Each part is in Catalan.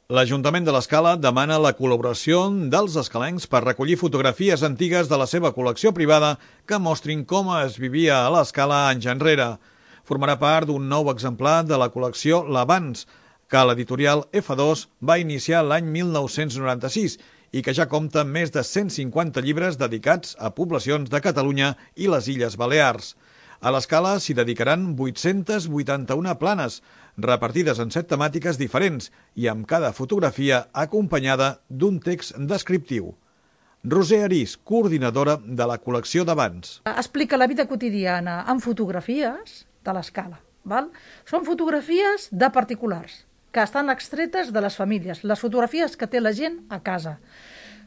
L'Ajuntament de l'Escala demana la col·laboració dels escalencs per recollir fotografies antigues de la seva col·lecció privada que mostrin com es vivia a l'Escala anys enrere. Formarà part d'un nou exemplar de la col·lecció L'Abans, que l'editorial F2 va iniciar l'any 1996 i que ja compta amb més de 150 llibres dedicats a poblacions de Catalunya i les Illes Balears. A l'Escala s'hi dedicaran 881 planes, repartides en 7 temàtiques diferents i amb cada fotografia acompanyada d'un text descriptiu. Roser Arís, coordinadora de la col·lecció d'Abans. Explica la vida quotidiana amb fotografies de l'Escala. Són fotografies de particulars que estan extretes de les famílies, les fotografies que té la gent a casa.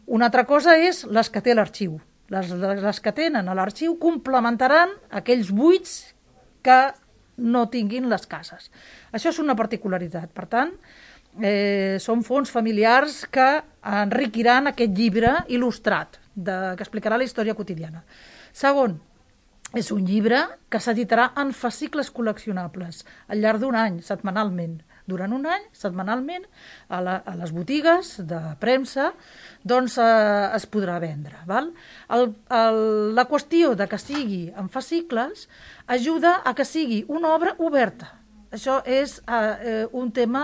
Una altra cosa és les que té l'arxiu. Les que tenen a l'arxiu complementaran aquells buits que no tinguin les cases. Això és una particularitat. Per tant, són fons familiars que enriquiran aquest llibre il·lustrat que explicarà la història quotidiana. Segon, és un llibre que s'editarà en fascicles col·leccionables al llarg d'un any, setmanalment. Durant un any, setmanalment, a les botigues de premsa, doncs es podrà vendre. La qüestió de que sigui en fascicles ajuda a que sigui una obra oberta. Això és un tema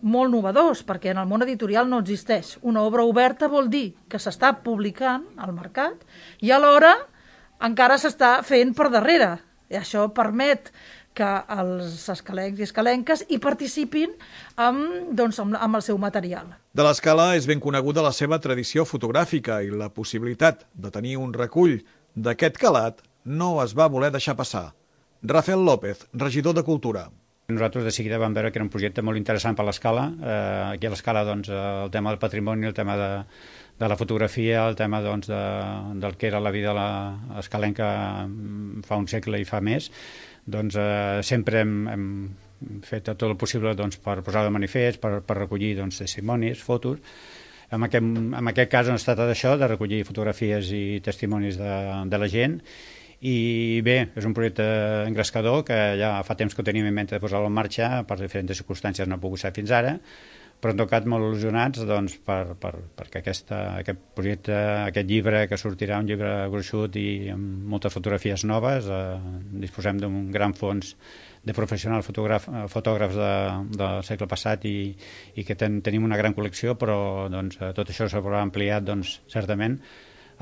molt novedós, perquè en el món editorial no existeix. Una obra oberta vol dir que s'està publicant al mercat i alhora encara s'està fent per darrere. I això permet que els escalencs i escalenques hi participin amb el seu material. De l'Escala és ben coneguda la seva tradició fotogràfica i la possibilitat de tenir un recull d'aquest calat no es va voler deixar passar. Rafael López, regidor de Cultura. Nosaltres de seguida vam veure que era un projecte molt interessant per l'Escala. Aquí a l'Escala el tema del patrimoni, el tema de la fotografia, el tema del que era la vida escalenca fa un segle i fa més, sempre hem fet tot el possible per posar de manifest, per recollir testimonis, fotos. En aquest cas es tracta d'això, de recollir fotografies i testimonis de la gent. I bé, és un projecte engrescador que ja fa temps que ho teníem en mente de posar-lo en marxa, per diferents circumstàncies no ha pogut ser fins ara, però en tot cas molt il·lusionats perquè aquest projecte, aquest llibre que sortirà, un llibre gruixut i amb moltes fotografies noves, disposem d'un gran fons de professionals fotògrafs del segle passat i que tenim una gran col·lecció, però tot això s'haurà ampliat certament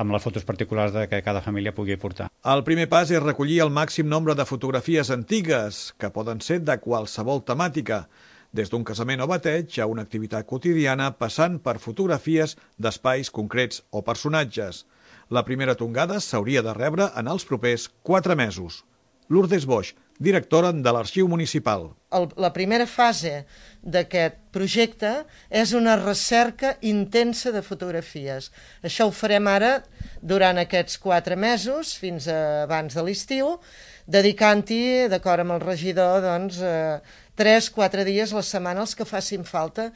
amb les fotos particulars que cada família pugui portar. El primer pas és recollir el màxim nombre de fotografies antigues, que poden ser de qualsevol temàtica, des d'un casament o bateig a una activitat quotidiana passant per fotografies d'espais concrets o personatges. La primera tongada s'hauria de rebre en els propers 4 mesos. Lourdes Boix, directora de l'Arxiu Municipal. La primera fase d'aquest projecte és una recerca intensa de fotografies. Això ho farem ara durant aquests 4 mesos, fins abans de l'estiu, dedicant-hi, d'acord amb el regidor, 3-4 dies a la setmana els que facin falta,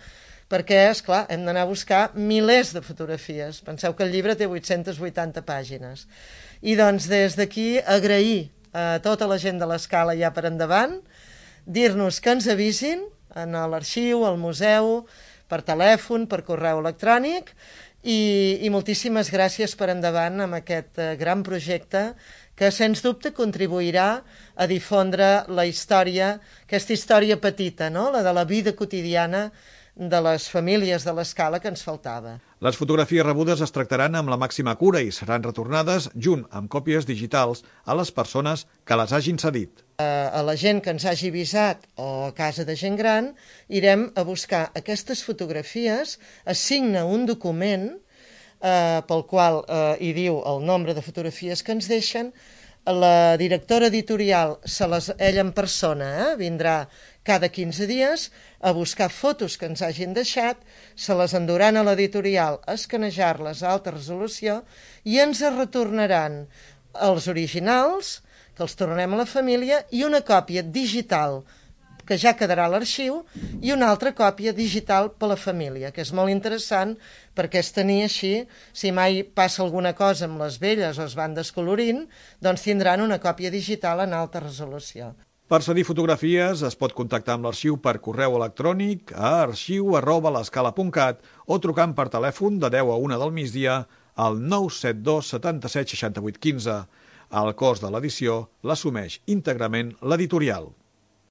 perquè, esclar, hem d'anar a buscar milers de fotografies. Penseu que el llibre té 880 pàgines. I des d'aquí agrair a tota la gent de l'Escala ja per endavant, dir-nos que ens avisin en l'arxiu, al museu, per telèfon, per correu electrònic, i moltíssimes gràcies per endavant amb aquest gran projecte que, sens dubte, contribuirà a difondre la història, aquesta història petita, no? La de la vida quotidiana de les famílies de l'Escala que ens faltava. Les fotografies rebudes es tractaran amb la màxima cura i seran retornades junt amb còpies digitals a les persones que les hagin cedit. A la gent que ens hagi avisat o a casa de gent gran irem a buscar aquestes fotografies, es signa un document pel qual hi diu el nombre de fotografies que ens deixen. La directora editorial, ella en persona, vindrà cada 15 dies a buscar fotos que ens hagin deixat, se les enduran a l'editorial a escanejar-les a alta resolució i ens retornaran els originals, que els tornem a la família, i una còpia digital que ja quedarà a l'arxiu, i una altra còpia digital per a la família, que és molt interessant perquè es tenir així, si mai passa alguna cosa amb les velles o es van descolorint, doncs tindran una còpia digital en alta resolució. Per cedir fotografies es pot contactar amb l'arxiu per correu electrònic a arxiu@l'escala.cat o trucant per telèfon de 10 a 1 del migdia al 972 77 68 15. El cost de l'edició l'assumeix íntegrament l'editorial.